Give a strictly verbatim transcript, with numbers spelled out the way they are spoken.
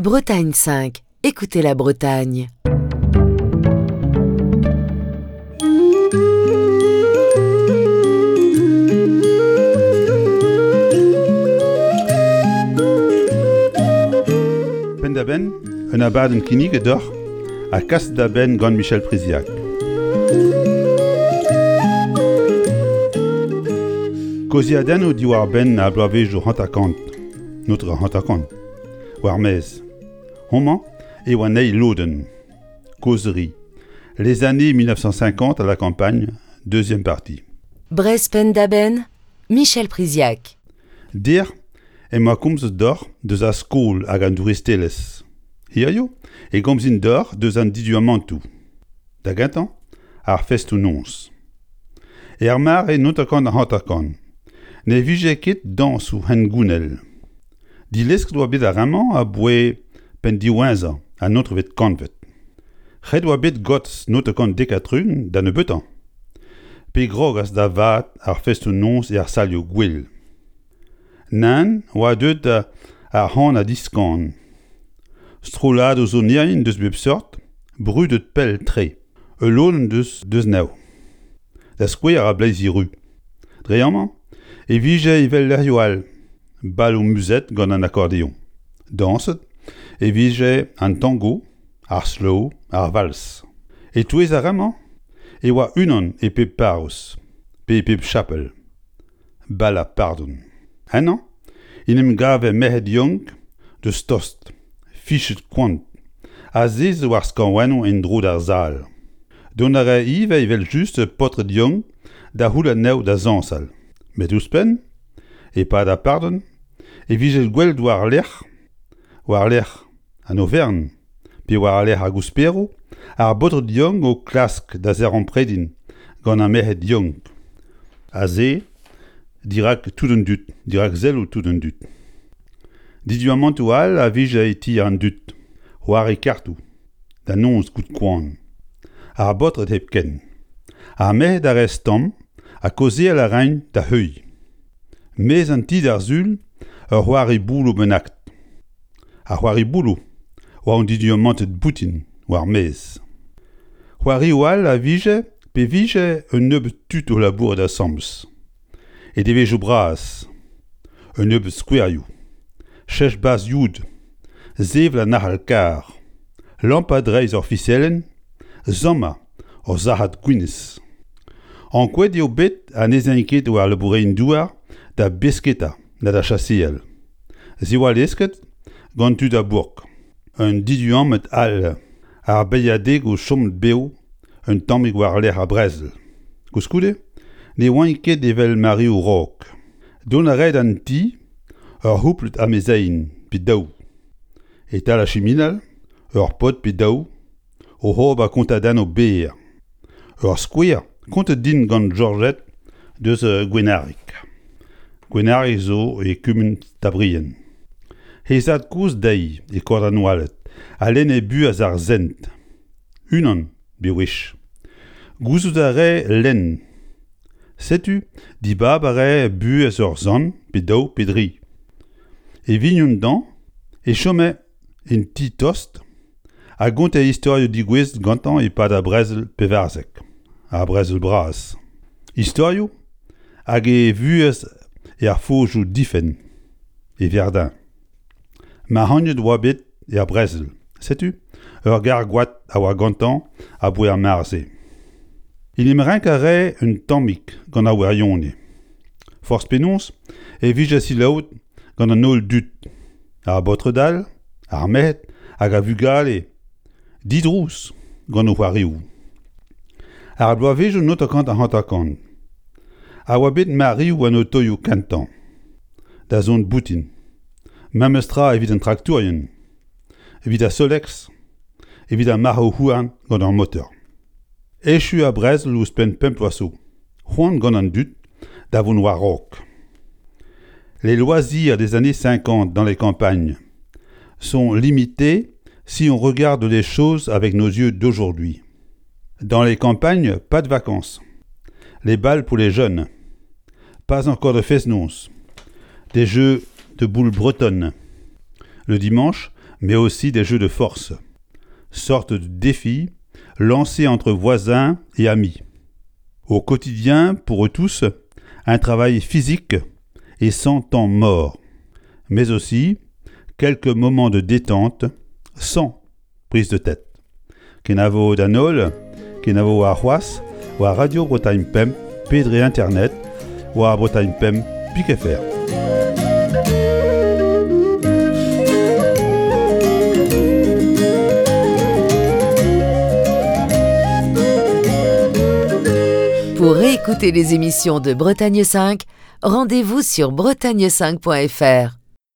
Bretagne cinq, écoutez la Bretagne. Penn-da-benn, un abadenn kinniget deoc'h ha kaset da benn gant Michel Priziac. Kaozeadennoù diwar-benn ar bloavezhioù hanter-kant, notre hanter-kant, war-maez. Homañ eo an eil lodenn. Causerie. Les années mille neuf cent cinquante à la campagne, deuxième partie. Breizh Penn-da-Benn, Michel Priziac. Dec'h emañ komzet deoc'h deus ar skol hag an douristelezh. Hirio e gomzin deoc'h deus an diduamantoù. Da gentañ, ar festoù-noz. Er mare hanter-kant ha hanter-kant, ne vije ket dañsoù hengounel. Dilesket oa bet ar re-mañ aboae penn diwezhañ an naontekvet kantved. Ret oa bet gotz hanter-kant dek ha tregont da nebeutañ. Pe grogas da vat ar festoù-noz er salioù gwell. Nann oa deuet ar c'han ha diskan. Strolladoù sonerien deus bep seurt, brudet pell-tre. Ul lodenn deus deus anezho. Da skouer ar bleizi ru. Dre amañ e vije evel lec'hioù all, baloù muzet gant an akordeoñ. Dañset e vije an tango, ar slow, ar vals. E-touez ar re-mañ e oa unan e pep parrouz, pe e pep chapel. Bal ar pardon. Ennañ en em gave merc'hed yaouank deus tost, fichet koant, azezet war skañvaennoù en-dro d'ar sal. Dont a rae ivez evel-just paotred yaouank da c'houll anezho da zañsal. Met ouzhpenn, e-pad ar pardon, e vije gwelet war-lerc'h, war-lerc'h an overenn, pe war-lerc'h ar gousperoù, ar baotred yaouank o klask da zaremprediñ gant ar merc'hed yaouank. Aze, dirak tout an dud, dirak selloù tout an dud. Diduamantoù all a vije e ti an dud, c'hoari kartoù, da noz goude koan. Ar baotred hepken. Ar merc'hed a rae stamm ha kaozeal a raent da heuilh. Maez an ti d'ar sul, ur c'hoari bouloù bennak. Ar c'hoari bouloù oa an diduamanted boutin war maez. C'hoarioù all a vije pe vije un nebeud tud o labourat asambles. E devezhioù bras, un nebeud skouerioù, chech bazh-youd, sevel an arc'hal-karr, lampañ dreist ur fiselenn, sammañ ur sac'had gwinizh. Ankouaet eo bet ha n'ez aint ket war labourerien-douar da besketa na da chaseal. Se oa lesket gant tud a bourk. Un diduamant all, ar beilhadegoù chomet bev un tammig war-lerc'h ar brezel. Koulskoude, ne oant ket evel mareoù raok. Dont a rae d'an ti ur c'houplad amezeien pe daou. E-tal ar chiminal, ur paotr pe daou, oc'h ober kontadennoù berr. Ur skouer kontet din gant Georgette deus Gwenarig. Gwenarig zo e kumun Tabrien. He zad-kozh dezhi e Koad-an-Oaled a lenne buhez ar sent. Unan bewech. Gouzout a rae lenn. Setu dibab a rae buhez ur sant pe daou pe dri. E vignon dañ e chome en ti tost a gonte istorioù degouezhet gantañ e-pad ar brezel pevarzek, ar brezel bras. Istorioù hag e vuhez er fojoù difenn, e Verdun. Mac'hagnet oa bet er brezel. Setu ur gargoad a oa gantañ aboae ar mare-se. En em renk a rae un tammig gant ar wirionez. Forzh penaos e vije selaouet gant an holl dud, ar baotred all, ar merc'hed hag ar vugale, didrouz gant o c'hoarioù. Ar bloavezhioù hanter-kant ha hanter-kant a oa bet mareoù an otoioù kentañ, da zont boutin. Memes tra evit an traktourien, evit ar Solex, evit ar marc'hoù-houarn gant ar motor. Echu ar brezel ouzhpenn pemp bloaz zo, c'hoant gant an dud da vont war-raok. Les loisirs des années cinquante dans les campagnes sont limités si on regarde les choses avec nos yeux d'aujourd'hui. Dans les campagnes, pas de vacances. Les bals pour les jeunes. Pas encore de fest-noz. Des jeux de boules bretonnes. Le dimanche, mais aussi des jeux de force, sorte de défi lancé entre voisins et amis. Au quotidien, pour eux tous, un travail physique et sans temps mort, mais aussi quelques moments de détente sans prise de tête. Kenavo d'an holl, kenavo warc'hoazh, war Radio Bretagne Pemp, pe dre internet, war Bretagne Pemp, pik F R. Pour réécouter les émissions de Bretagne cinq, rendez-vous sur bretagne cinq point F R.